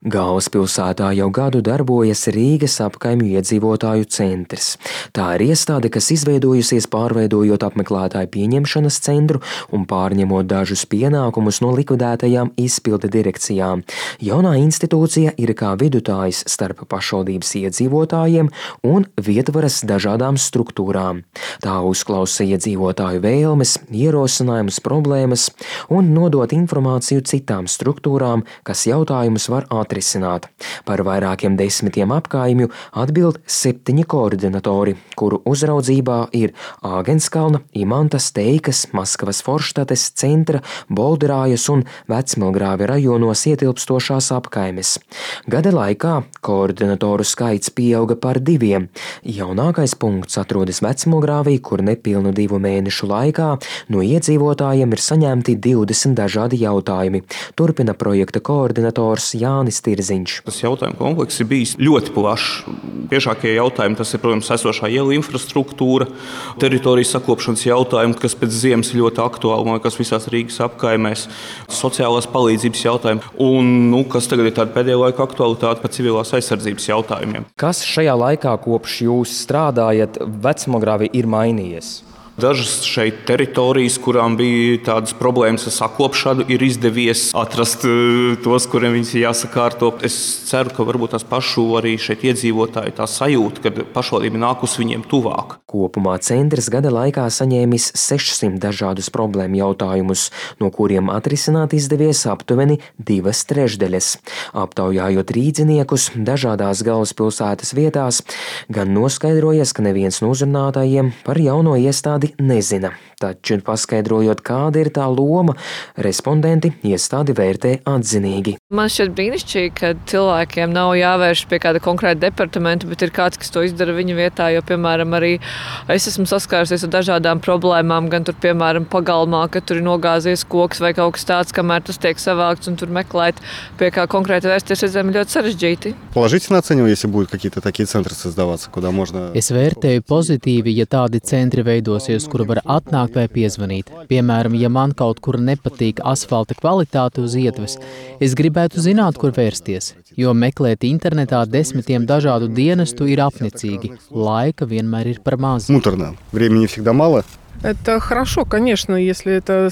Galvaspilsētā jau gadu darbojas Rīgas apkaimju iedzīvotāju centrs. Tā ir iestāde, kas izveidojusies pārveidojot apmeklētāju pieņemšanas centru un pārņemot dažus pienākumus no likvidētajām izpilde direkcijām. Jaunā institūcija ir kā vidutājs starp pašvaldības iedzīvotājiem un vietvaras dažādām struktūrām. Tā uzklausa iedzīvotāju vēlmes, ierosinājumus, problēmas un nodot informāciju citām struktūrām, kas jautājumus var atrisināt. Par vairākiem desmitiem apkaimju atbild 7 koordinatori, kuru uzraudzībā ir Āgenskalna, Imantas, Teikas, Maskavas Forštates, Centra, Bolderājas un Vecmilgrāvi rajonos ietilpstošās apkaimes. Gada laikā koordinatoru skaits pieauga par 2. Jaunākais punkts atrodas Vecmilgrāvī, kur nepilnu 2 mēnešu laikā no iedzīvotājiem ir saņemti 20 dažādi jautājumi. Turpina projekta koordinators Jānis Tirziņš. Tas jautājumu komplekss ir bijis ļoti plašs. Biežākie jautājumi tas ir, protams, esošā ielu infrastruktūra, teritorijas sakopšanas jautājumi, kas pēc ziemas ir ļoti aktuāli, kas visās Rīgas apkaimēs, sociālās palīdzības jautājumi un, kas tagad ir tāda pēdējā laika aktualitāte par civilās aizsardzības jautājumiem. Kas šajā laikā, kopš jūs strādājat Vecmilgrāvī, ir mainījies? Dažas šeit teritorijas, kurām bija tādas problēmas ar sakopšanu, ir izdevies atrast tos, kuriem viņas ir jāsakārto. Es ceru, ka varbūt tās pašu arī šeit iedzīvotāji tā sajūta, ka pašvaldība nāk uz viņiem tuvāk. Kopumā centrs gada laikā saņēmis 600 dažādus problēmu jautājumus, no kuriem atrisināt izdevies aptuveni 2/3. Aptaujājot rīdziniekus dažādās galvaspilsētas vietās, gan noskaidrojies, ka neviens no uzrunātājiem par jauno iestādi nezina. Taču paskaidrojot, kāda ir tā loma, respondenti iestādi vērtē atzinīgi. Man šķiet brīnišķīgi, ka cilvēkiem nav jāvērš pie kāda konkrēta departamenta, bet ir kāds, kas to izdara viņa vietā, jo, piemēram, arī es esmu saskārusies ar dažādām problēmām, gan tur, piemēram, pagalmā, ka tur ir nogāzies koks vai kaut kas tāds, kamēr tas tiek savākts un tur meklēt, pie kā konkrēti vērsties, redzam, ļoti sarežģīti. Положительно оцениваю, если будут какие-то такие центры создаваться, куда можно... Es vērtēju pozitīvi, ja tādi centri veidosies, kur var atnākt vai piezvanīt. Piemēram, ja man kaut kur nepatīk asfalta kvalitāte uz ietves, es gribētu zināt, kur vērsties, jo meklēt internetā 10 dažādu dienestu ir apnicīgi. Laika vienmēr ir par maz. Муторно. Времени всегда мало. Это хорошо, конечно, если это...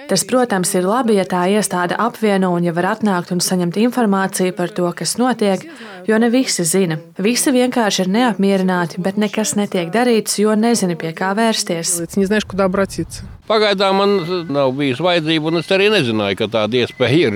Tas, protams, ir labi, ja tā iestāde apvieno un ja var atnākt un saņemt informāciju par to, kas notiek, jo ne visi zina. Visi vienkārši ir neapmierināti, bet nekas netiek darīts, jo nezini, pie kā vērsties. Pagaidām man nav bijis vajadzība, un es arī nezināju, ka tāda iespēja ir.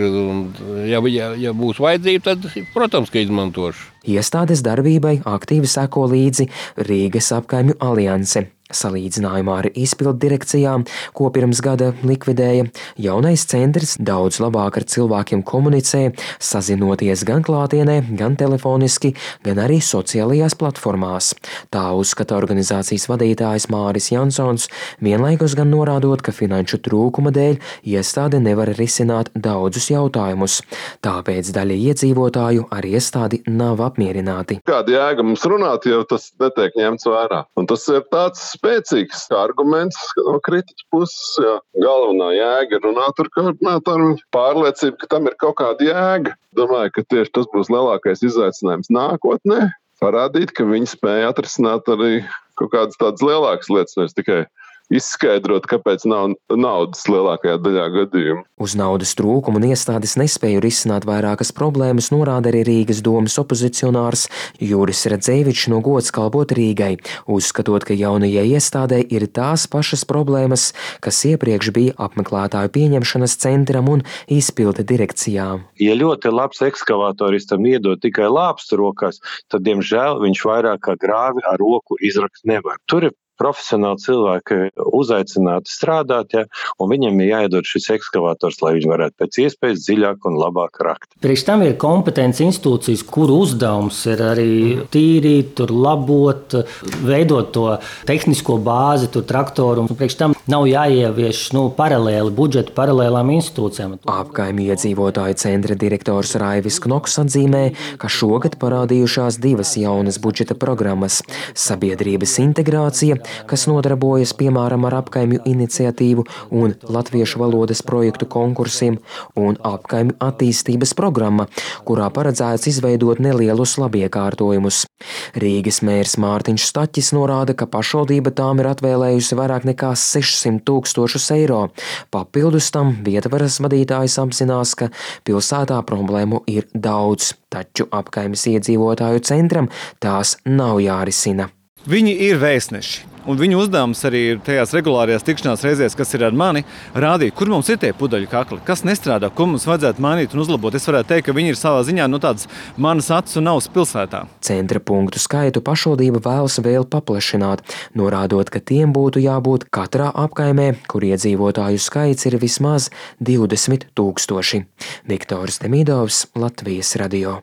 Ja būs vajadzība, tad, protams, ka izmantošu. Iestādes darbībai aktīvi seko līdzi Rīgas apkaimju alianse. Salīdzinājumā ar izpildu direkcijām, ko pirms gada likvidēja, jaunais centrs daudz labāk ar cilvēkiem komunicē, sazinoties gan klātienē, gan telefoniski, gan arī sociālajās platformās. Tā uzskata organizācijas vadītājs Māris Jansons, vienlaikus gan norādot, ka finanšu trūkuma dēļ iestāde nevar risināt daudzus jautājumus. Tāpēc daļa iedzīvotāju ar iestādi nav apmierināti. Kāda jēga mums runāt, ja tas netiek ņemts vērā? Un tas ir tāds spēcīgs arguments no kritiķa puses. Jā. Galvenā jēga ir runāt ar koordinātoru, pārliecība, ka tam ir kaut kāda jēga. Domāju, ka tieši tas būs lielākais izaicinājums nākotnē. Parādīt, ka viņi spēja atrisināt arī kaut kādas tādas lielākas lietas, nevis tikai izskaidrot, kāpēc nav naudas lielākajā daļā gadījumu. Uz naudas trūkumu un iestādes nespēju risināt vairākas problēmas norāda arī Rīgas domes opozicionārs Juris Radzēvičs no Gods kalpot Rīgai, uzskatot, ka jaunajai iestādē ir tās pašas problēmas, kas iepriekš bija apmeklētāju pieņemšanas centram un izpilde direkcijām. Ja ļoti labs ekskavatoristam iedod tikai lāpstu rokās, tad, diemžēl, viņš vairāk kā grāvi ar roku izrakt nevar. Tur ir profesionāli cilvēki uzaicināti strādāt, ja, un viņiem ir jāiedod šis ekskavators, lai viņi varētu pēc iespējas dziļāk un labāk rakt. Priekš tam ir kompetences institūcijas, kuru uzdevums ir arī tīrīt, tur labot, veidot to tehnisko bāzi, tur traktoru, un priekš tam nav jāievieš paralēli budžetu paralēlām institūcijām. Apkaimju iedzīvotāju centra direktors Raivis Knoks atzīmē, ka šogad parādījušās 2 jaunas budžeta programmas – sabiedrības integrācija kas nodarbojas piemēram ar apkaimju iniciatīvu un latviešu valodas projektu konkursiem, un apkaimju attīstības programma, kurā paredzēts izveidot nelielus labiekārtojumus. Rīgas mērs Mārtiņš Staķis norāda, ka pašvaldība tām ir atvēlējusi vairāk nekā 600 000 eiro. Papildus tam vietvaras vadītājs apzinās, ka pilsētā problēmu ir daudz, taču apkaimes iedzīvotāju centram tās nav jārisina. Viņi ir vēstneši, un viņu uzdevums arī ir tajās regulārajās tikšanās reizēs, kas ir ar mani, rādīt, kur mums ir tie pudeļu kakli, kas nestrādā, ko mums vajadzētu mainīt un uzlabot. Es varētu teikt, ka viņi ir savā ziņā tādas manas acis un ausis pilsētā. Centra punktu skaitu pašvaldība vēlas vēl paplašināt, norādot, ka tiem būtu jābūt katrā apkaimē, kur iedzīvotāju skaits ir vismaz 20 000. Viktors Demidovs, Latvijas radio.